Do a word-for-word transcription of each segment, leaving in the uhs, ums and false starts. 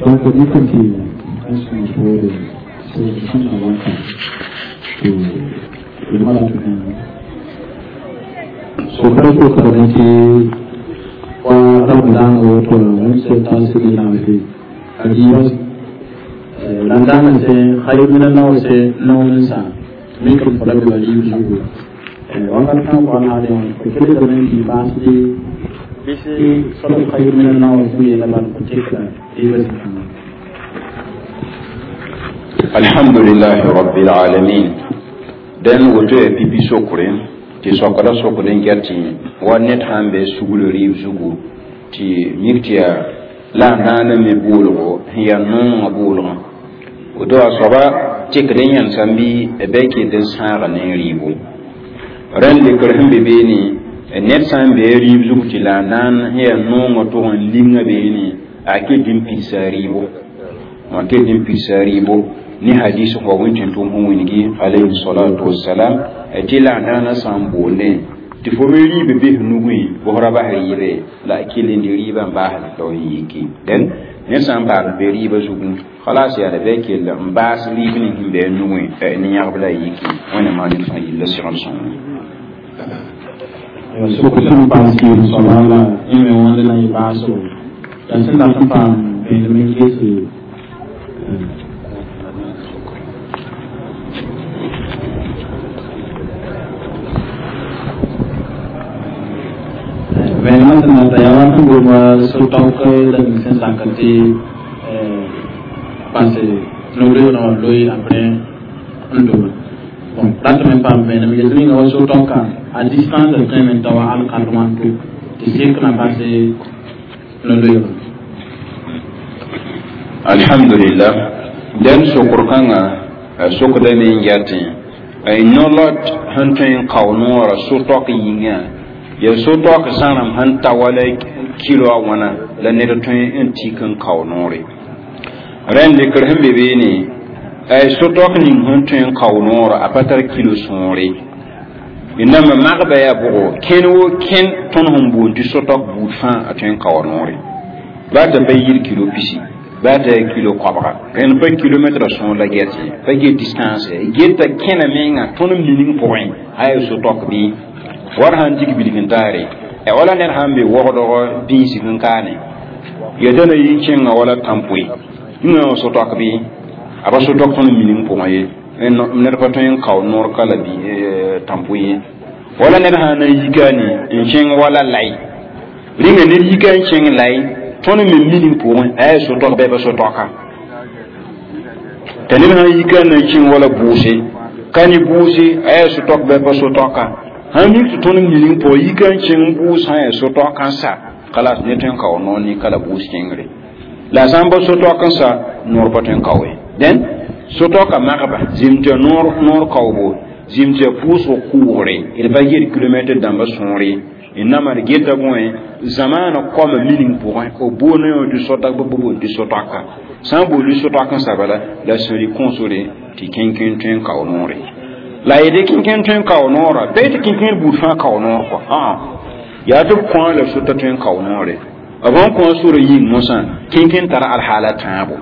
Donc ni kan ti an sẽn poore sẽn na wãnka tɩ d mala sokra sokrame tɩ wa ramadaanga woto wẽnd sẽn taas rɩ a rɩɩbã la n dag n sẽ khayr min al-nawse naoor n sã mikr fo la be wa rɩɩb zugu wakat sã n pʋgã naale fo kelgame n tɩ baasd bɩs soab khayr min al-naoor sẽn yeela bal fo tekla rɩɩbã zĩigã. Alhamdulillahi rabbil alamin. Den woto ya pipi sokre tɩ sokda sokd n get tɩ wa ned sãn be sugl rɩɩb zugu tɩ mik tɩ yaa la a naana me boolgo sẽn yaa noongã boolgã woto a soaba tekd n yẽnsame bɩ bɩ a kell n sãaga ne rɩɩbo rẽnd lekr sẽn be beene ned sã n be rɩɩb zug tɩ la a naan sẽn yaa noongã tʋg n linga beene a kell n pidsa rɩɩbo a kell n pidsa rɩɩbo ni hadis fo wẽn tɩ tʋm sẽn wilgi alayhi salatu wassalam tɩ la a naana sã n boondẽ tɩ fo me rɩɩb bes nugẽ bʋsra ra bas rɩɩbe la a kell n dɩ rɩɩbã n baasd la f yiki dẽn ned sã n paam be rɩɩbã zugu khalas yaa la bɩ a kell n baas rɩɩb ning sẽn be a nugẽ ne yãgb la a yiki wẽnnaam maan ned fãa yilla segl sõngo. Sokr sẽn paam kɩɩm soaba la yẽ me wãnd na yɩ baasgo la sẽn dat n paam vẽenem n gese vẽenemã sẽn na ta yaa wa sẽn gom so-taok la ning sẽn sakr tɩ pase no-loeerã wã loe apres n dobe bon ratame paam vẽenem yel ninga wa so-taoka a distance tõeme n ta wa alkal wãnto tɩ sekna pase no-loeerã. Alhamdulillah. Den sokr kãngã sokdame n yatẽ no-lot sẽn tõe n kao noorã so-taok yĩnga ya so-taok zãrem sẽn ta wala kilo a wãna la ned tõe n tik n kao noore rẽnd lekr sẽn be beene so-taok ning sẽn tõe n kao noorã a pa tar kilo sõore namba magba yaa bʋgo kẽn wo kẽn tõnd sẽn boond tɩ so-taok buud fãa a tõe n kao noore baa t'a pa yir kilo pisi baa t'a yaa kilo koabga rẽnd pa kilometra sõor la get ye pa get distance ye geta kẽna menga tõnd mining pʋgẽ a yaa so-taok bɩ war sãn dig bilg n taare wala ned sãn be wogdg bĩisg n kaane ya t'a na yi n kẽnga wala tãmpoe yĩngã wã so-taok bɩ a pa so-taok tõnd mining pʋgẽ ye ned pa tõe n kao noor ka la tãmpoe ye wala ned sãn na n yikane n kẽng wala lai rĩnga ned yika n kẽng lai tõnd me mining pʋgẽ a yaa so-taok bɩ pa so-taoka t'a ned sãn yika n na n kẽng wala bʋʋse ka ne bʋʋse a yaa so-taok bɩ pa so-taoka sãn mik tɩ tõnd mining pʋgẽ yika n kẽng bʋʋs sã n yaa so-taok n sa kalas ne tõe n kao noor ne ka la bʋʋs kẽngre la sã n pa so-taok n sa noor pa tõe n kao ye dẽn so-taoka magba zĩm tɩ noor noor kaoobo zĩm tɩ yaa pʋʋsg kʋʋgre d pa get kilomɛtr dãmba sõore n nama d geta bõe zamaana koama mining pʋgẽ b boonã yõ tɩ so-tak bɩ b boond tɩ so-toaka sã n boond so-toak n sa bala la sẽn rɩ kõosore tɩ kẽnkẽ tõe n kao noore la yede kẽnkẽ tõe n kao noorã pa tɩ kẽnkẽr buud fãa kao noor kɔ yaa tɩ b kõa la sota tõe n kao noore b sẽn kõa sora yĩng mosã kẽnkẽ tara alhaala tãabo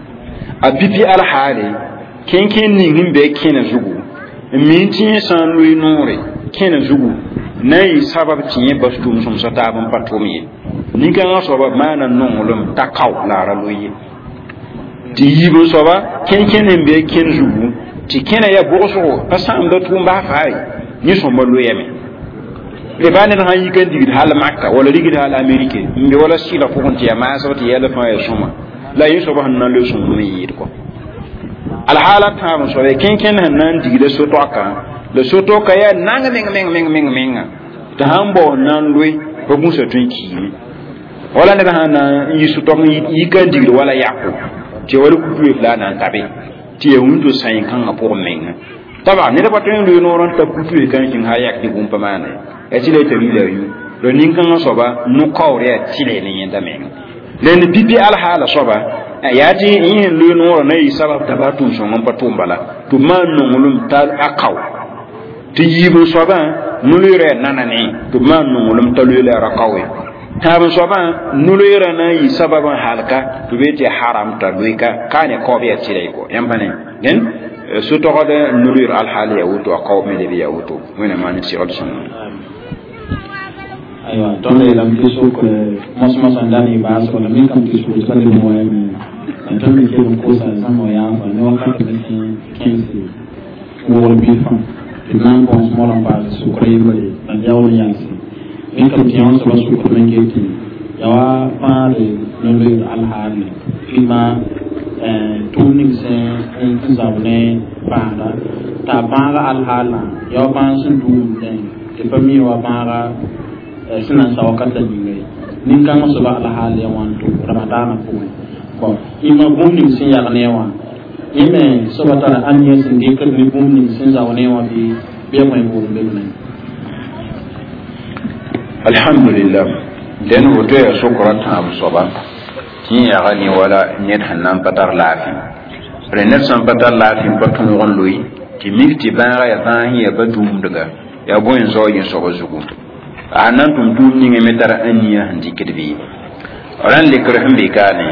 a pipi alhaale kẽnkẽ ning sẽn be kẽna zugu n mi tɩ yẽ sã n loe noore kẽna zugu na n yɩ sabab tɩ yẽ bas tʋʋm-sõmsã taab n pa tʋm ye nin-kãngã soaba maana nonglem t'a kao la a ra loe ye tɩ yiib n soaba kẽnkẽ sẽn be kẽn zugu tɩ kẽna yaa bʋgsgo pa sãamda tʋʋm baa faa ye yẽ sõmba loyame le baa ned sãn yik n digd hal Maka wala rigd hal Amerike n be wala sɩla pʋgẽ tɩ yaa maasg tɩ yɛl fãa yaa sõma la yẽ soaba sẽn na n loe sõmblem n yɩɩd kɔ alhaala tãab n soaba kẽnkẽnd sẽn na n digda so-toaka la so-toaka yaa nang meng meng meng meng menga tɩ sãn bao n na n loe pa gũsa tõe n kiime wala ned sãn na n yi so-toak n yika n digd wala yako tɩ wala kutu la a na n tabe tɩ yaa wĩnto sãen-kãngã pʋgẽ menga taba ned pa tõe n loe noor n ta kutu kãn kẽng sã yak tɩ bũmb pa maana ye tɩ la y t'a rila yu la nin-kãngã soaba no-kaoor yaa tɩle ne yẽnda menga la pipi alhaala soaba yaa tɩ yẽ sẽn loe noorã na yɩ sabab t'a baa tʋʋm-sõng n pa tʋʋm bala tɩ b maan nonglem t'a a kao tɩ yiib n soabã no-loeerã yaa nana ne tɩ b maan nonglem t'a loe la a ra kaoe Tãab soabã no-loeerã na n yɩ sabab n halka tɩ be tɩ haram t'a loɩka ka ne kaoob yaa tɩra kɔ yãmb pa ne dẽn so-togd no-loeer alhaal yaa woto a kaoob me leb yaa woto wẽnna maan segd sõngo. Aywa, tõnd yeelame tɩ sok mos-mosã n da ne baasgo la mikame tɩ sugr t'a leb n wayame la tõnd me kell n kosa zãmb wã yaafa ne wakat me sẽn kẽnse wogl bilfã tɩ d na n bõos mola n paas sʋkra yembre la d yaool n yalse mikame tɩ yãmb soaba sʋkr me get tɩ ya wa bãade no-loeer alhaale rɩma tʋʋm ning sẽn n zab ne bãada t'a bãaga alhaalã ya wa bãag sẽn duumdẽ tɩ pa mi wa bãaga sẽn na n sa wakat la ninga ye nin-kãngã soaba alhaal ya wãnto ramadaanã pʋgẽ bɔn yĩmã bũmb ning sẽn yag ne wã yẽ me soaba tara ãniyã sẽn dɩkd ne bũmb ning sẽn zao ne wã bɩ bɩ a wẽ boom be Alhamdulillah, dẽn woto yaa sokra tãab soaba tɩ yẽ yaga ne wala ned sẽn na n pa tar laafɩ rẽ ned sẽn pa tar laafɩ n pa tõog n loe tɩ mik tɩ bãaga yaa bãas yaa ba dũumdga yaa bõe n zao yẽ soaba zugu a na n tʋm tʋʋm ninga me tara ãniyã sẽn dɩkd bɩ ra n lekr sẽn be kaane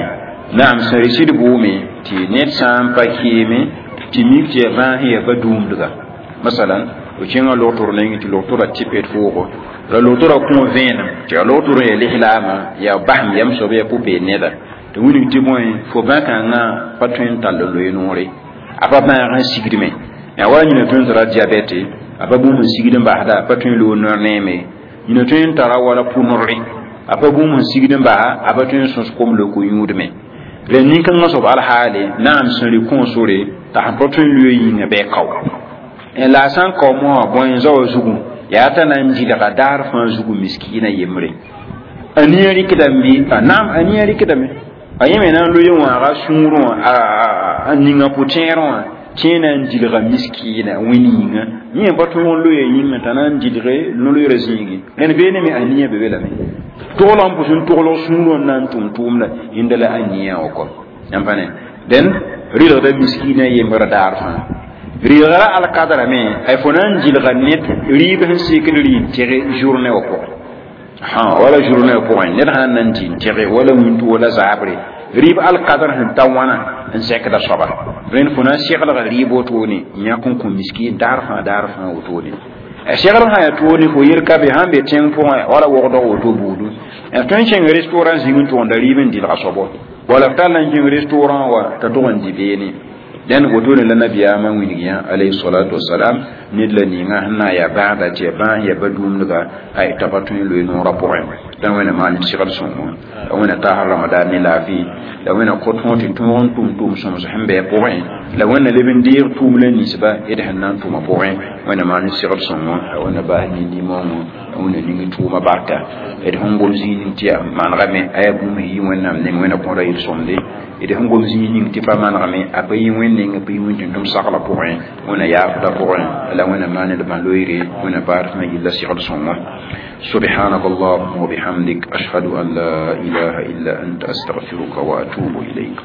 naam sẽn rɩsd bʋʋme tɩ ned sã n pa keeme tɩ mik tɩ yaa bãas yaa ba dũumdga masalan fo kẽngã logtr nengẽ tɩ logtora tɩpd foogo la logtora kõ vẽenem tɩ yaa logtr yaa lislaamã yaa basem yam soab yaa pʋ-peed neda tɩ wilg tɩ bõe fo bãkãngã pa tõe n tall n loe noore a pa bãag n sigdme yaa wala yĩna tõe n tara diabɛte a pa bũmb n sigd n basda a pa tõe n loog noor neeme yĩna tõe n tara wala pʋ-norre a pa bũmb n sigd n basa a pa tõe n sõs kom loko yũudme rẽnd nin-kãngã soab alhaale naam sẽn rɩ kõ sore t'a sẽn pa tõe n loe yĩnga bɩ kao la a sã n kao moasã bõe n zaoa zugu yaa t'a na n dɩlga daar fãa zugu miskiinã yembre a nia rɩkdame bɩ a naam a nia rɩkdame a yẽ me na n loe wãaga sũurẽ wã a ninga pʋ-tẽerẽ wã tẽ na n dilga miskiina wẽnd yĩnga yẽ pa tõog n loya yĩnga t'a na n dilge no-loeerã zĩigi rẽnd beene me a nia be be lame togl n pʋs n toglg sũurẽ wã na n tʋm tʋʋmda yẽnda la a nia wã kɔ yãmb pa ne dẽn rɩlgda miskiinã yembr daar fãa rɩlgra alkadrame ay fo na n dilga ned rɩɩb sẽn sekd rɩ n tɩg journée wã pʋgẽ wala journée wã pʋgẽ ned sã n na n dɩ n tɩge wala wĩntu wala zaabre rɩɩb alkadr sẽn ta wãna n zɛkda soaba rẽnd fo na n seglga rɩɩb wotone n yãk n kõ miskiin daar fãa daar fãa wotone a segl sã yaa toone fo yel ka be sãn be tẽng pʋgẽ wala wogdg woto buudu tõe n kẽng restaurant zĩng n tʋgenda rɩɩb n dɩlga soabo wala f tall n kẽng restaurant wa t'a tʋg n dɩ beene dẽn wotone la nabiyaamã wilg yã alayhi salatu wasalam ned la ninga sẽn na n yaa bãagda tɩ yaa bãas yaa ba-dũumdga ay t'a pa tõe n loe noorã pʋgẽ la wẽna maan segd sõngo la wẽna taasr ramadan ne laafɩ la wẽna kõt fõ tɩ tõog n tʋm tʋʋm sõms sẽn bɩ a pʋgẽ la wẽnna leb n deeg tʋʋm la ninsba d sẽn na n tʋma pʋgẽ wẽna maan segd sõngo la wẽna bas nin-nimõngo la wẽna ning tʋʋma barka d sẽn gom zĩig ning tɩ yaa manegame a yaa bũmb yɩ wẽnnaam neng wẽna kõda yel-sõmde d sẽn gom zĩig ning tɩ pa manegame a pa yɩ wẽnd neng pa yɩ wẽnd tʋm sagla pʋgẽ wẽna yaafda pʋgẽ la wẽna maan d bãn-loeere wẽna baar fãa yella segd sõngo. سبحانك اللهم وبحمدك أشهد أن لا إله إلا أنت أستغفرك وأتوب إليك.